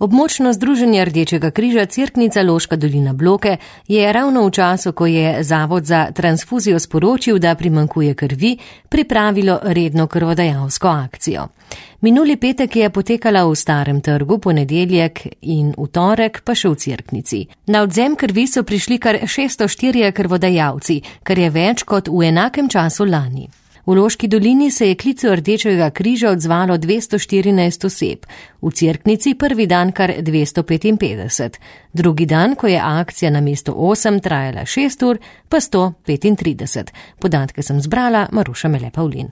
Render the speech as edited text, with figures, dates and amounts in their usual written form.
Območno združenje Rdečega križa Cerknica Loška dolina Bloke je ravno v času, ko je Zavod za transfuzijo sporočil, da primanjkuje krvi, pripravilo redno krvodajalsko akcijo. Minuli petek je potekala v Starem trgu, ponedeljek in v torek pa še v Cerknici. Na odvzem krvi so prišli kar 604 krvodajalci, kar je več kot v enakem času lani. V Loški dolini se je klicu Rdečega križa odzvalo 214 oseb, v Cerknici prvi dan kar 255, drugi dan, ko je akcija namesto 8 trajala 6 ur, pa 135. Podatke sem zbrala Maruša Mele Pavlin.